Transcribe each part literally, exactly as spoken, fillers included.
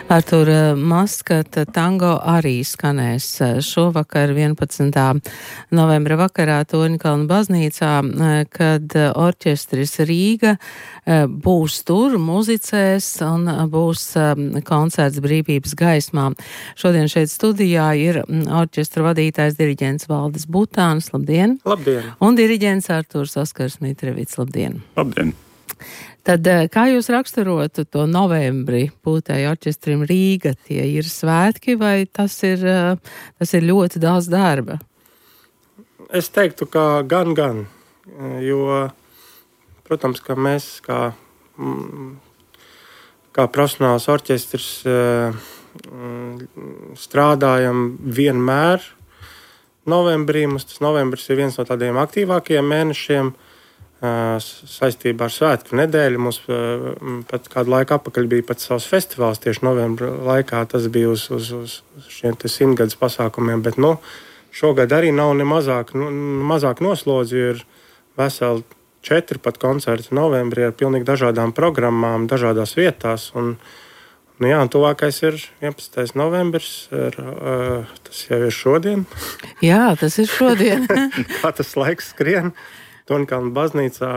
Artur, Maskata tango arī skanēs šovakar vienpadsmitā novembra vakarā Torņkalna baznīcā, kad orķestris Rīga būs tur, muzicēs un būs koncerts Brīvības gaismā. Šodien šeit studijā ir orķestra vadītājs diriģents Valdis Butāns. Labdien! Labdien! Un diriģents Arturs Oskars Mitrevits. Labdien! Labdien! Tad kā jūs raksturotu to novembri Pūtēju orķestrim Rīga? Tie ir svētki vai tas ir, tas ir ļoti daudz darba? Es teiktu, ka gan, gan. Jo, protams, ka mēs kā, kā profesionāls orķestris strādājam vienmēr novembrī. Mums tas novembris ir viens no tādiem aktīvākajiem mēnešiem. Saistībā ar svētku nedēļu mums pat kādu laiku atpakaļ bija pat savs festivāls tieši novembra laikā. Tas bija uz, uz, uz šiem te simtgadus pasākumiem, bet nu, šogad arī nav ne mazāk, nu, mazāk noslodzi, ir veseli četri pat koncerti novembrī ar pilnīgi dažādām programmām, dažādās vietās. Un, nu jā, un tuvākais ir vienpadsmitais novembris, ir, uh, tas jau ir šodien. Jā, tas ir šodien. Kā tas laiks skrien. Torņkalna baznīcā,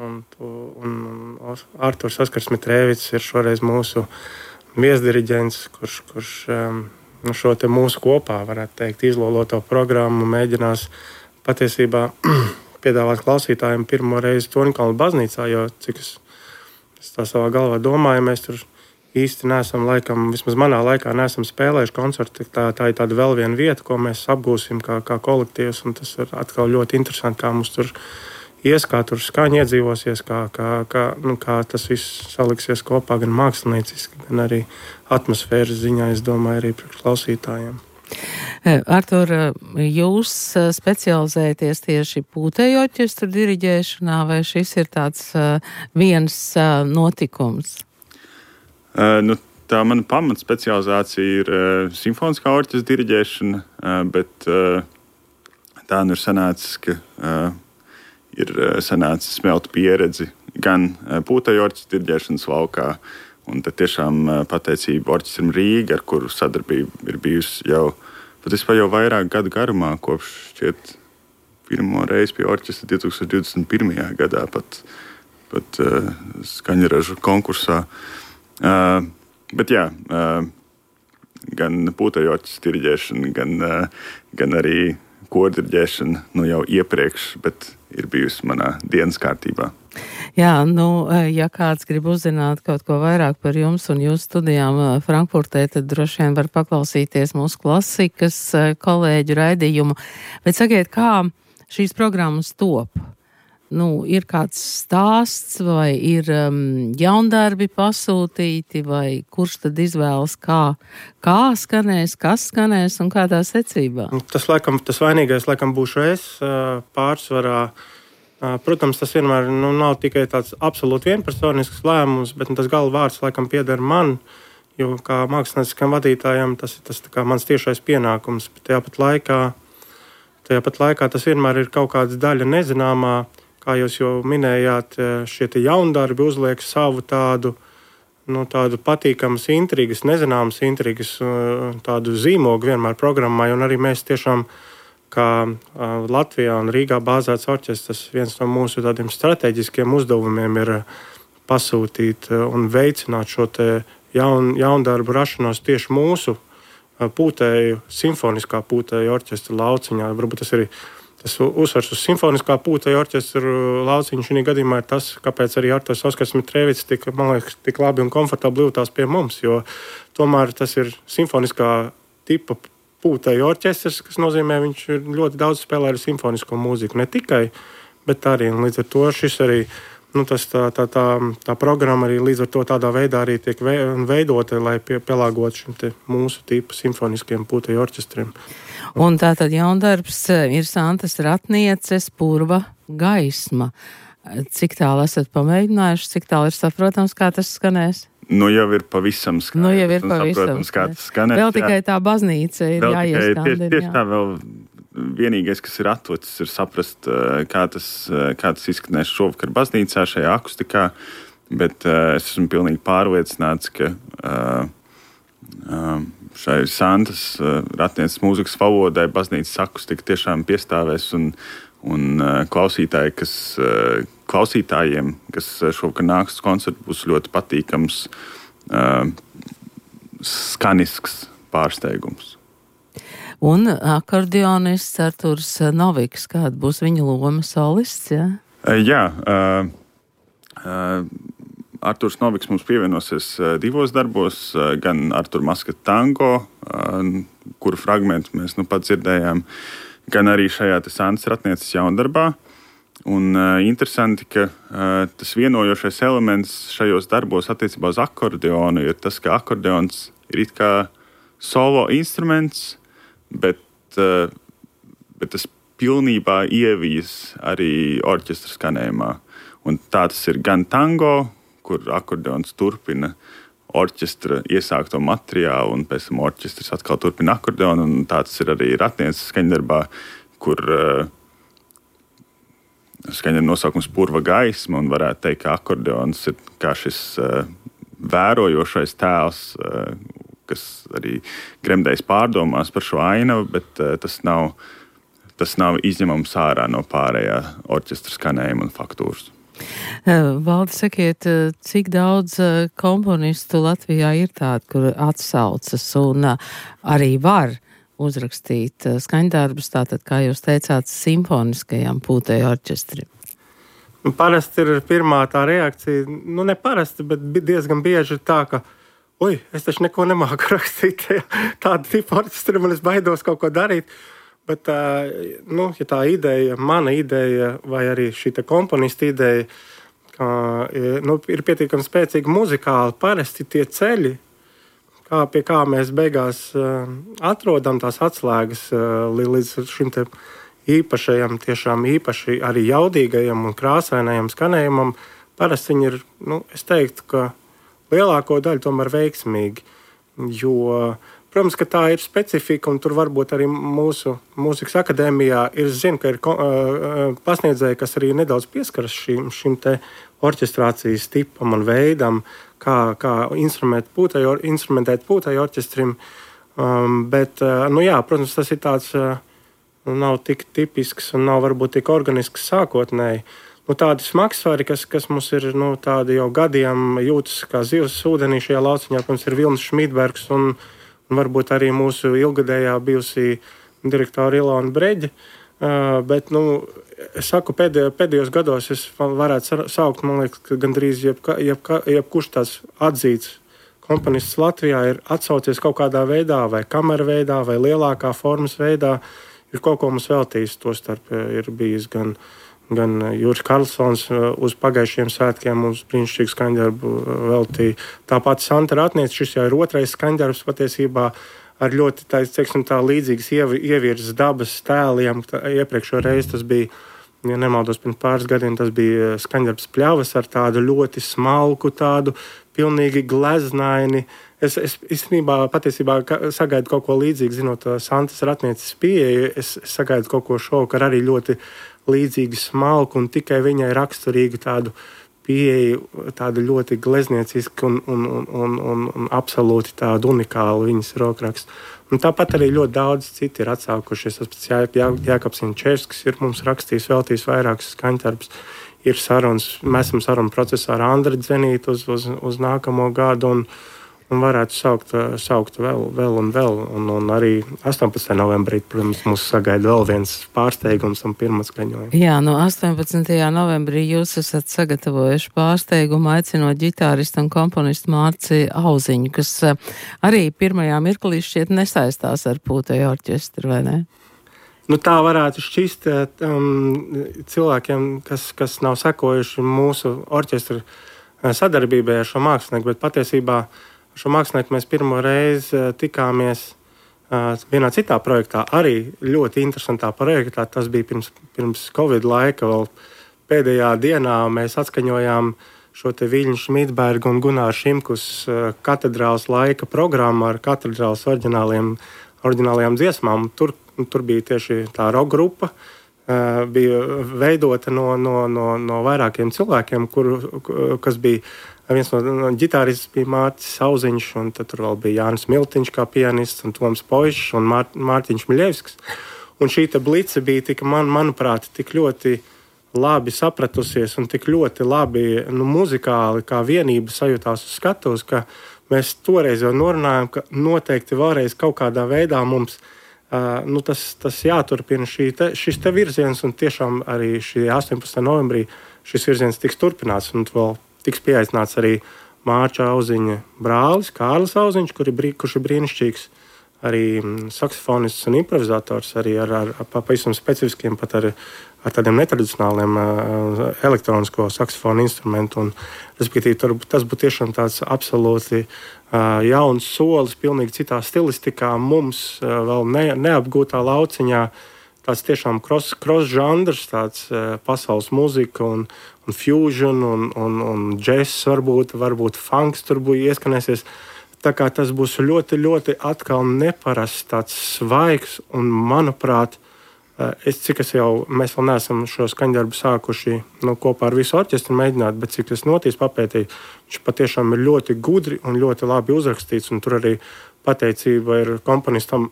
un, un, un Arturs Oskars Mitrevits ir šoreiz mūsu viesdiriģents, kurš, kurš nu, šo te mūsu kopā, varētu teikt, izloloto programmu mēģinās patiesībā piedāvāt klausītājiem pirmo reizi Torņkalna baznīcā, jo cik es, es tā savā galvā domāju, mēs tur īsti neesam, laikam, vismaz manā laikā neesam spēlējuši koncertu. Tā, tā ir tāda vēl viena vieta, ko mēs apgūsim kā, kā kolektīvs, un tas ir atkal ļoti interesanti, kā mums tur ies, kā tur skaņa iedzīvosies, kā, kā, kā, nu, kā tas viss saliksies kopā gan mākslinieciski, gan arī atmosfēras ziņā, es domāju, arī priekš klausītājiem. Artur, jūs specializēties tieši Pūtēju orķestra diriģēšanā, vai šis ir tāds viens notikums? Uh, nu, tā mana pamatspecializācija ir uh, simfoniskā orķestra diriģēšana, uh, bet uh, tā nu ir sanācis, ka uh, ir uh, sanācis smelt pieredzi gan uh, Pūtēju orķestra diriģēšanas laukā, un tad tiešām uh, pateicība orķestram Rīga, ar kuru sadarbība ir bijusi jau patiesībā jau vairāk gadu garumā, kopš šķiet pirmo reizi pie orķestra divtūkstoš divdesmit pirmajā gadā pat, pat uh, skaņražu konkursā. Uh, bet jā, uh, gan Pūtēju orķestra diriģēšana, gan, uh, gan arī kordiriģēšana nu jau iepriekš, bet ir bijusi manā dienas kārtībā. Jā, nu, ja kāds grib uzzināt kaut ko vairāk par jums un jūsu studijām Frankfurtē, tad droši vien var paklausīties mūsu klasikas kolēģu raidījumu. Bet sakiet, kā šīs programmas top? Nu, ir kāds stāsts, vai ir um, jaundarbi pasūtīti, vai kurš tad izvēlas, kā, kā skanēs, kas skanēs un kādā secībā? Tas, laikam, tas vainīgais laikam būšu es pārsvarā. Protams, tas vienmēr nu, nav tikai tāds absolūti vienpersonisks lēmums, bet tas galvvārds laikam pieder man, jo kā mākslinieciskam vadītājam tas ir tas, tā kā mans tiešais pienākums. Bet tajā pat laikā, tajā pat laikā tas vienmēr ir kaut kāda daļa nezināmā. Kā jūs jau minējāt, šie jaundarbi uzliek savu tādu, nu, tādu patīkamas intrigas, nezināmas intrigas, tādu zīmogu vienmēr programmai. Un arī mēs tiešām, kā Latvijā un Rīgā bāzēts orķestrs, viens no mūsu tādiem strateģiskiem uzdevumiem ir pasūtīt un veicināt šo te jaun, jaundarbu rašanos tieši mūsu Pūtēju, simfoniskā Pūtēju orķestra lauciņā. Varbūt tas arī Tas uzsvars uz simfoniskā Pūtēju orķestra lauciņu šī gadījumā ir tas, kāpēc arī Arturs Oskars Mitrevits tik, man liekas, tik labi un komfortabli jūtās pie mums, jo tomēr tas ir simfoniskā tipa Pūtēju orķestrs, kas nozīmē, viņš ļoti daudz spēlē ar simfonisko mūziku. Ne tikai, bet arī līdz ar to šis arī, nu, tas tā, tā, tā, tā programma arī līdz ar to tādā veidā arī tiek veidota, lai pie, pielāgot šim te mūsu tipu simfoniskiem Pūtēju orķestriem. Un tātad jaundarbs ir Santas Ratnieces Purva gaisma. Cik tālu esat pamēģinājuši, cik tālu ir saprotams, kā tas skanēs? Nu jau ir pavisam skaidrs. Nu jau ir pavisam skaidrs. Skanēs, vēl tikai tā baznīca ir jāieskandina. Tieši, tieši tā vēl vienīgais, kas ir atlicis, ir saprast, kā tas, kā tas izskanēs šovakar baznīcā šajā akustikā, bet uh, es esmu pilnīgi pārliecināts, ka uh, šai Santas Ratnieces mūzikas valodai baznīcas akustika tiešām piestāvēs un, un klausītāji, kas, klausītājiem, kas šovakar nāks uz koncertu, būs ļoti patīkams skanisks pārsteigums. Un akordeonists Arturs Noviks, kāda būs viņa loma, solists, jā? Jā, uh, uh, Arturs Noviks mums pievienosies uh, divos darbos, uh, gan Artur Maskata tango, uh, kuru fragmentu mēs nu pat dzirdējām, gan arī šajā te Santas Ratnieces jaundarbā. Un uh, interesanti, ka uh, tas vienojošais elements šajos darbos attiecībā uz akordeonu ir tas, ka akordeons ir it kā solo instruments, bet, uh, bet tas pilnībā ievijas arī orķestra skanējumā. Un tā tas ir gan tango, kur akordeons turpina orķestra iesākto materiālu, un pēc tam orķestris atkal turpina akordeonu, un tā tas ir arī Ratnieces skaņdarbā, kur uh, skaņdarba nosaukums Purva gaisma, un varētu teikt, ka akordeons ir kā šis uh, vērojošais tēls, uh, kas arī gremdējas pārdomās par šo ainavu, bet uh, tas nav Tas nav izņemams ārā no pārējā orķestra skanējuma un faktūras. Valdi, sakiet, cik daudz komponistu Latvijā ir tādi, kur atsaucas un arī var uzrakstīt skaņdarbus, tātad, kā jūs teicāt, simfoniskajām pūtēju orķestrim? Parasti ir pirmā tā reakcija, nu ne parasti, bet diezgan bieži tā, ka oi, es taču neko nemāku rakstīt tādu tipu orķestrim, un es baidos kaut ko darīt. Bet, nu, ja tā ideja, mana ideja, vai arī šī komponista ideja, ka, nu, ir pietiekami spēcīgi muzikāli, parasti tie ceļi, kā, pie kā mēs beigās atrodam tās atslēgas līdz šim te īpašajam, tiešām īpaši arī jaudīgajam un krāsainajam skanējumam, parasti viņi ir, nu, es teiktu, ka lielāko daļu tomēr veiksmīgi, jo protams, ka tā ir specifika, un tur varbūt arī mūsu mūzikas akadēmijā ir, zinu, ka ir uh, pasniedzēji, kas arī nedaudz pieskaras šim, šim te orķestrācijas tipam un veidam, kā, kā instrumentēt pūtēju, instrumentēt pūtēju orķestrim. Um, bet, uh, nu jā, protams, tas ir tāds, uh, nav tik tipisks un nav varbūt tik organisks sākotnēji. Nu, tādi smagsvari, kas, kas mums ir, nu, tādi jau gadiem jūtas kā zivs ūdenī šajā lauciņā, protams, ir Vilnis Šmīdbergs un un varbūt arī mūsu ilgadējā bijusī direktora Ilona Breģe. Uh, bet, nu, es saku, pēdējo, pēdējos gados es varētu saukt, man liekas, ka gandrīz jebka, jebka, jebkurš tās atzīts komponists Latvijā ir atsaucies kaut kādā veidā, vai kamera veidā, vai lielākā formas veidā, ir kaut ko mums veltījis. Tostarp ir bijis gan, gan Juris Karlsons uz pagājušiem svētkiem mums brīnišķīgu skaņdarbu veltīja. Tāpat Santa Ratniece, šis jau ir otrais skaņdarbs patiesībā ar ļoti tā, teiksim, tā līdzīgas ievirzes dabas tēliem. Tā, iepriekšo reizi tas bija, ja nemaldos, pirms pāris gadiem tas bija skaņdarbs Pļavas ar tādu ļoti smalku, tādu pilnīgi gleznaini. Es, es īstenībā patiesībā sagaidu kaut ko līdzīgu, zinot Santas Ratnieces pieeju. Es, es sagaidu kaut ko šovakar arī ļoti līdzīgi smalku un tikai viņai raksturīgu tādu pieeju, tādu ļoti glezniecisku un, un, un, un, un, un absolūti tādu unikālu viņas rokrakstu. Un tāpat arī ļoti daudz citi ir atsaukušies. Tas Jā, Jā, Jākaps Inčevskis ir mums rakstījis, veltījis vairākus skaņdarbus. Ir sarunas, mēs esam sarunu procesā ar Andri Dzenītu uz, uz, uz nākamo gadu un un varētu saukt, saukt vēl, vēl un vēl. Un, un arī astoņpadsmitajā novembrī, protams, mūs sagaida vēl viens pārsteigums un pirmais skaņojums. Jā, no astoņpadsmitajā novembrī jūs esat sagatavojuši pārsteigumu, aicinot ģitāristu un komponistu Mārci Auziņu, kas arī pirmajā mirklī šķiet nesaistās ar pūtēju orķestru, vai ne? Nu, tā varētu šķist um, cilvēkiem, kas, kas nav sekojuši mūsu orķestra sadarbībai ar šo mākslinieku, bet patiesībā šo mākslinieku mēs pirmo reizi tikāmies uh, vienā citā projektā, arī ļoti interesantā projektā. Tas bija pirms, pirms Covid laika, vēl pēdējā dienā mēs atskaņojām šo te Viļņu Šmīdbergu un Gunāru Šimkus uh, katedrāls laika programmu ar katedrāls oriģināliem, oriģinālajām dziesmām. Tur, tur bija tieši tā rock grupa, bija veidota no, no, no, no vairākiem cilvēkiem, kur, kas bija viens no, no ģitārists bija Mārtis Sauziņš, un tad tur vēl bija Jānis Miltiņš kā pianists, un Toms Poišs un Mār, Mārtiņš Miļevskis. Un šī te blice bija tik, man, manuprāt, tik ļoti labi sapratusies un tik ļoti labi nu, muzikāli kā vienība sajūtās uz skatuves, ka mēs toreiz jau norunājām, ka noteikti vēlreiz kaut kādā veidā mums Uh, nu tas, tas jāturpina šī te, šis te virziens, un tiešām arī šī astoņpadsmitā novembrī šis virziens tiks turpināts, un vēl tiks pieaicināts arī Mārča Auziņa brālis, Kārlis Auziņš, kur ir, kurš ir brīnišķīgs arī saksofonists un improvizators, arī ar, ar, ar pavisam specifiskiem, pat ar, ar tādiem netradicionāliem uh, elektronisko saksofonu instrumentu, un respektīvi tur, tas būtu tiešām tāds absolūti uh, jauns solis, pilnīgi citā stilistikā, mums uh, vēl ne, neapgūtā lauciņā, tāds tiešām cross, cross žandrs, tāds uh, pasaules muzika un, un fusion un, un, un džess, varbūt, varbūt funks tur būtu ieskanēsies. Tā kā tas būs ļoti, ļoti atkal neparasts, tāds svaigs, un, manuprāt, es, cik es jau, mēs vēl neesam šo skaņdarbu sākuši nu, kopā ar visu orķestru mēģināt, bet cik es notīs papētīju, viņš patiešām ir ļoti gudri un ļoti labi uzrakstīts, un tur arī pateicība ir komponistam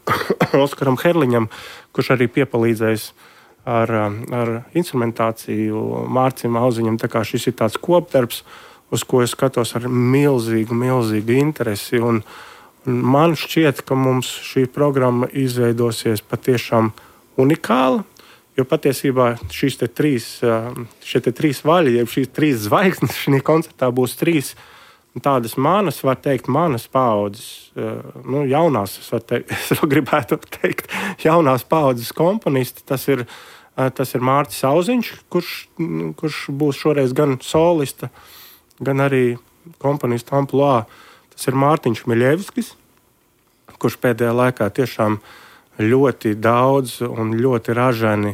Oskaram Herliņam, kurš arī piepalīdzējis ar, ar instrumentāciju Mārcim Auziņam, tā kā šis ir tāds kopdarbs, uz ko es skatos ar milzīgu, milzīgu interesi. Un, un man šķiet, ka mums šī programma izveidosies patiešām unikāla, jo patiesībā šīs te trīs, šie te trīs vaļi, jeb šīs trīs zvaigznes šī koncertā būs trīs tādas manas, var teikt, manas paaudzes, nu, jaunās, es, var teikt, es gribētu teikt, jaunās paaudzes komponisti. Tas ir, tas ir Mārtis Auziņš, kurš, kurš būs šoreiz gan solista, gan arī komponistu amplua. Tas ir Mārtiņš Miļevskis, kurš pēdējā laikā tiešām ļoti daudz un ļoti ražani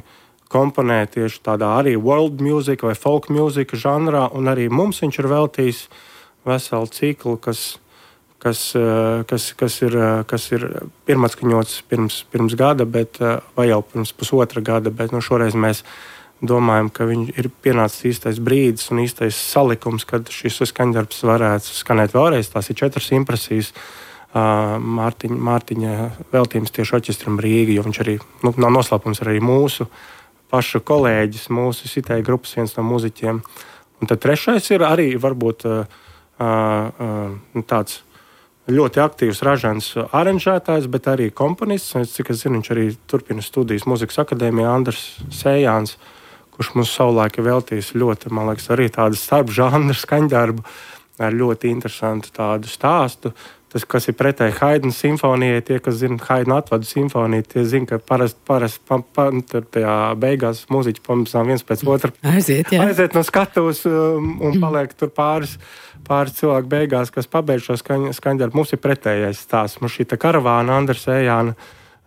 komponē tieši tādā arī world music vai folk music žanrā, un arī mums viņš ir veltījis veselu ciklu, kas, kas, kas, kas, ir, kas ir pirmatskaņots pirms, pirms gada, bet, vai jau pirms pusotra gada, bet nu, šoreiz mēs domājam, ka viņi ir pienācis īstais brīdis un īstais salikums, kad šis skaņdarbs varētu skanēt vēlreiz. Tās ir četras impresijas uh, Mārtiņa, Mārtiņa veltījums tieši orķestram Rīga, jo viņš arī, nu, nav noslēpums, arī mūsu pašu kolēģis, mūsu sitēja grupas viens no muziķiem. Un tad trešais ir arī varbūt uh, uh, tāds ļoti aktīvs ražants aranžētājs, bet arī komponists. Cik es zinu, viņš arī turpina studijas Mūzikas akadēmijā, Andrs Sējāns, kurš mums savulaik ir veltījis ļoti, man liekas, arī tādu starpžanru skaņdarbu ar ļoti interesantu tādu stāstu. Tas, kas ir pretēji Haidna simfonijai, tie, kas zina Haidna atvadu simfoniju, tie zina, ka parasti parast, pa, pa, tajā beigās mūziķi pamazām viens pēc otra aiziet, jā. aiziet no skatuves um, un paliek tur pāris, pāris cilvēku beigās, kas pabeidz šo skaņ, skaņdarbu. Mums ir pretējais stāsts. Mums šī karavāna Andra Sējāna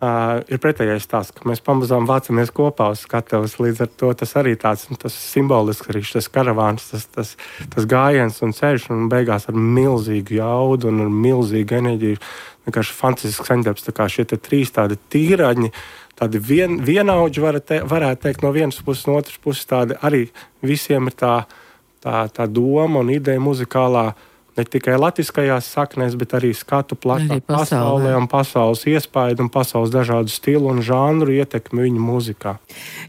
Uh, ir pretējais stāsts, ka mēs pamazām vācamies kopā uz skatuves. Līdz ar to tas arī tāds tas simbolisks, arī šis karavāns, tas, tas, tas gājiens un ceļš, un beigās ar milzīgu jaudu un ar milzīgu enerģiju. Vienkārši fantastisks skaņdarbs, tā kā šie te trīs tādi tīraņi, tādi vien, vienaudži var te, varētu teikt no vienas puses, no otras puses tādi arī visiem ir tā, tā, tā doma un ideja muzikālā, ne tikai latviskajās saknēs, bet arī skatu plašā pasaulē un pasaules iespaidu un pasaules dažādu stilu un žanru ietekmi viņu muzikā.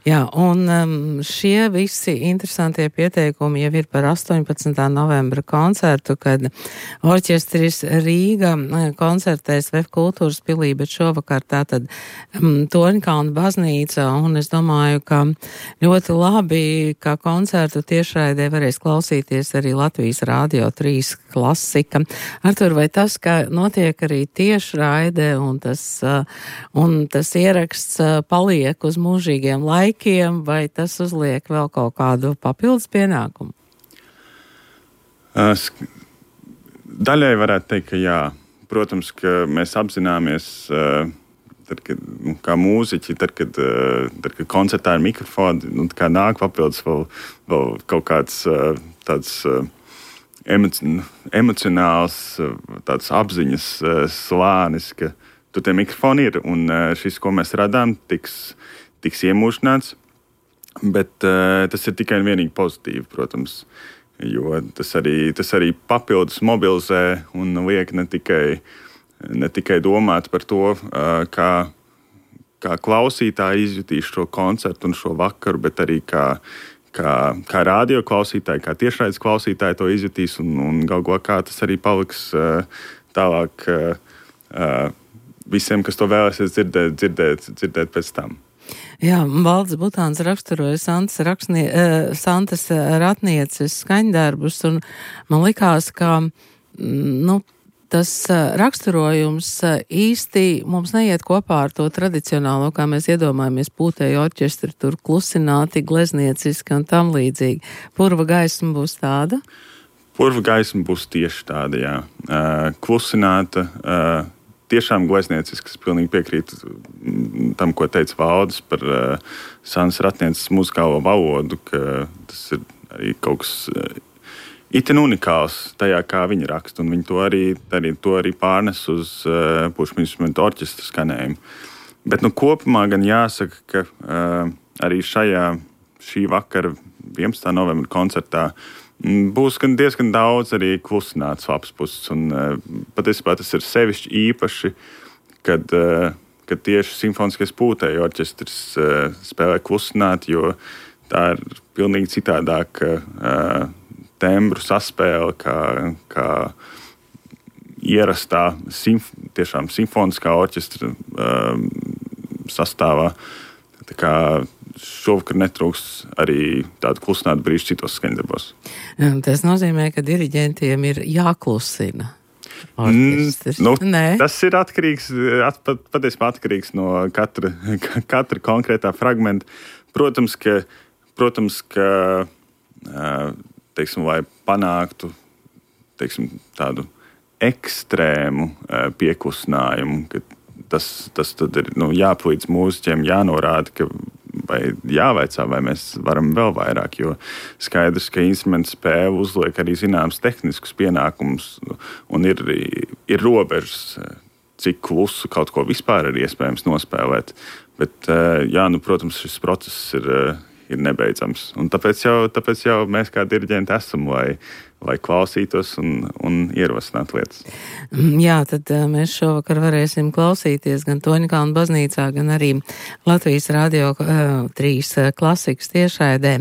Jā, un um, šie visi interesantie pieteikumi jau ir par astoņpadsmitā novembra koncertu, kad orķestris Rīga koncertēs Vef kultūras pilī, bet šovakar tātad um, Toņkalna baznīca, un es domāju, ka ļoti labi, ka koncertu tiešraidē varēs klausīties arī Latvijas Rādio trīs klasika. Artur, vai tas, ka notiek arī tiešraide un tas, un tas ieraksts paliek uz mūžīgiem laikiem, vai tas uzliek vēl kaut kādu papildus pienākumu? Daļai varētu teikt, ka jā. Protams, ka mēs apzināmies, tad, kad, kā mūziķi, tad, kad, tad, kad koncertā ir mikrofoni, nu, kā nāk papildus vēl, vēl kaut kāds tāds emocionāls, tāds apziņas slānis, ka tur tie mikrofoni ir, un šis, ko mēs radām, tiks, tiks iemūžināts. Bet uh, tas ir tikai un vienīgi pozitīvi, protams, jo tas arī, tas arī papildus mobilizē un liek ne tikai, ne tikai domāt par to, uh, kā, kā klausītāji izjutīs šo koncertu un šo vakaru, bet arī kā, kā, kā radio klausītāji, kā tiešraides klausītāji to izjutīs un, un galu galā kā tas arī paliks uh, tālāk uh, uh, visiem, kas to vēlēsies dzirdēt, dzirdēt, dzirdēt pēc tam. Jā, Valdis Butāns raksturoja Santas, rakstnie, uh, Santas ratnieces skaņdarbus, un man likās, ka nu, tas uh, raksturojums uh, īsti mums neiet kopā ar to tradicionālo, kā mēs iedomājamies pūtēju orķestri, tur klusināti, gleznieciski un tam līdzīgi. Purva gaisma būs tāda? Purva gaisma būs tieši tāda, jā. Uh, klusināta, uh, tiešām glezniecisks, pilnīgi piekrītu tam, ko teica Valdis par uh, Santas ratnieces muzikālo valodu, ka tas ir arī kaut kas uh, itin unikāls tajā, kā viņi raksta, un viņi to arī, arī, to arī pārnes uz uh, pušu instrumentu orķestra skanējumu. Bet nu, kopumā gan jāsaka, ka uh, arī šajā šī vakara vienpadsmitā novembra koncertā būs gan diezgan daudz arī klusināts labs puses, un uh, patiesībā tas ir sevišķi īpaši, kad, uh, kad tieši simfoniskais pūtēju orķestris uh, spēlē klusināt, jo tā ir pilnīgi citādāka uh, tembru saspēle, kā, kā ierastā simf, tiešām simfoniskā orķestra uh, sastāvā. Tā kā šovakar netrūks arī tādu klusinātu brīžu citos skaņdarbos. Tas nozīmē, ka diriģentiem ir jāklusina orķestris. Mm, nu, tas ir atkarīgs, at, pat, patiesībā atkarīgs no katra, katra konkrētā fragmenta. Protams, ka, protams, ka teiksim, lai panāktu teiksim, tādu ekstrēmu pieklusinājumu, ka tas, tas tad ir nu, jāpalīdz mūziķiem, jānorāda, ka vai jāvaicā, vai mēs varam vēl vairāk, jo skaidrs, ka instruments spēle uzliek arī zināms tehniskus pienākumus, un ir, ir robežas, cik klusu kaut ko vispār ir iespējams nospēlēt. Bet, jā, nu, protams, šis process ir, ir nebeidzams. Un tāpēc jau, tāpēc jau mēs kā diriģenti esam, lai, lai klausītos un, un ierosinātu lietas. Jā, tad mēs šovakar varēsim klausīties gan Toņkalna baznīcā, gan arī Latvijas Radio trīs klasikas tiešraidē.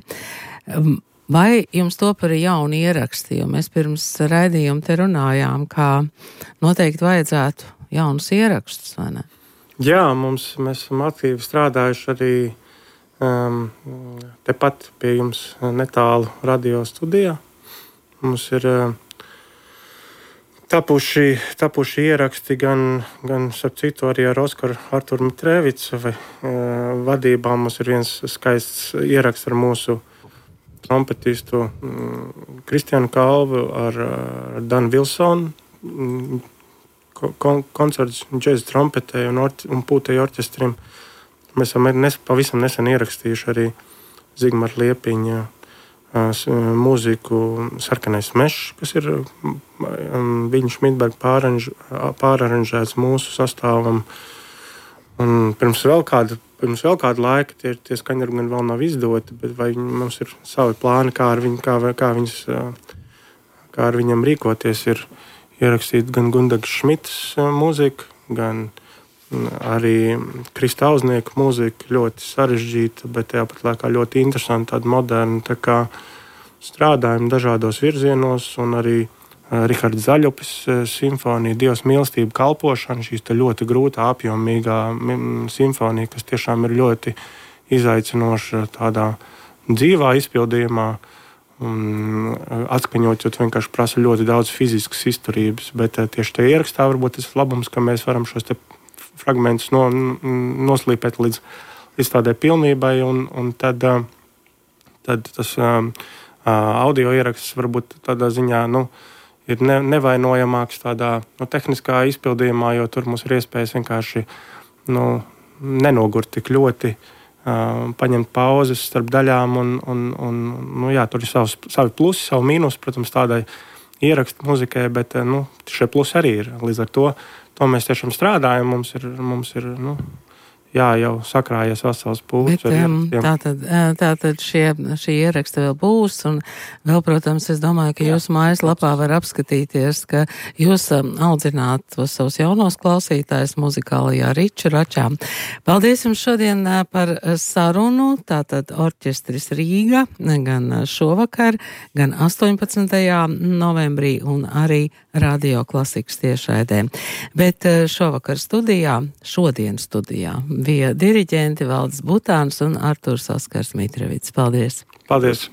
Vai jums top arī jauni ieraksti, jo mēs pirms raidījuma te runājām, kā noteikti vajadzētu jaunus ierakstus, vai ne? Jā, mums, mēs esam aktīvi strādājuši arī um, tepat pie jums netālu radio studijā. Mums ir uh, tapuši, tapuši ieraksti gan, gan starp citu arī ar Oskaru Arturu Mitrēvicu vai uh, vadībā. Mums ir viens skaists ieraksts ar mūsu trompetistu um, Kristianu Kalvu, ar, ar Danu Vilsonu, um, kon, koncerts džēza trompetē un, orķ, un pūtēju orķestrim. Mēs esam nes, pavisam nesen ierakstījuši arī Zigmara Liepiņa mūziku Sarkanais mešs, kas ir viņa Šmidberga pāraranž, pāraranžēts mūsu sastāvam. Un pirms vēl kāda, pirms vēl kāda laika tie, tie skaņdarbi gan vēl nav izdoti, bet vai mums ir savi plāni, kā ar, viņu, kā, kā viņas, kā ar viņam rīkoties, ir ierakstīt gan Gundagas Šmitas mūzika, gan arī Krista Auznieka mūzika, ļoti sarežģīta, bet tāpat laikā ļoti interesanta, tāda moderna, tā kā strādājam dažādos virzienos, un arī Rihards Zaļupis simfonija, Dievs mīlestība kalpošana, šīs te ļoti grūtā, apjomīgā simfonija, kas tiešām ir ļoti izaicinoša tādā dzīvā izpildījumā, un atskaņot, vienkārši prasa ļoti daudz fiziskas izturības, bet tieši te ierakstā varbūt tas labums, ka mēs varam šos te fragmentus no, noslīpēt līdz, līdz tādai pilnībai, un, un tad, tad tas um, audio ieraksts varbūt tādā ziņā nu, ir ne, nevainojamāks tādā nu, tehniskā izpildījumā, jo tur mums ir iespējas vienkārši nu, nenogurt tik ļoti, uh, paņemt pauzes starp daļām, un, un, un nu, jā, tur ir savs, savi plusi, savi mīnus, protams, tādai ierakstu muzikai, bet nu, šie plusi arī ir līdz ar to. To mēs tiešām strādājam, mums ir, mums ir nu, jā, jau sakrājies vesels pūlis. Tātad, tātad šie, šie ieraksti vēl būs, un vēl, protams, es domāju, ka jūsu mājaslapā var apskatīties, ka jūs audzināt tos savus jaunos klausītājus muzikālajā riču račā. Paldies jums šodien par sarunu, tātad orķestris Rīga, gan šovakar, gan astoņpadsmitajā novembrī, un arī Radio Klasikas tiešraidē. Bet šovakar studijā, šodien studijā, bija diriģenti Valdis Butāns un Artūrs Oskars Mitrevits. Paldies! Paldies!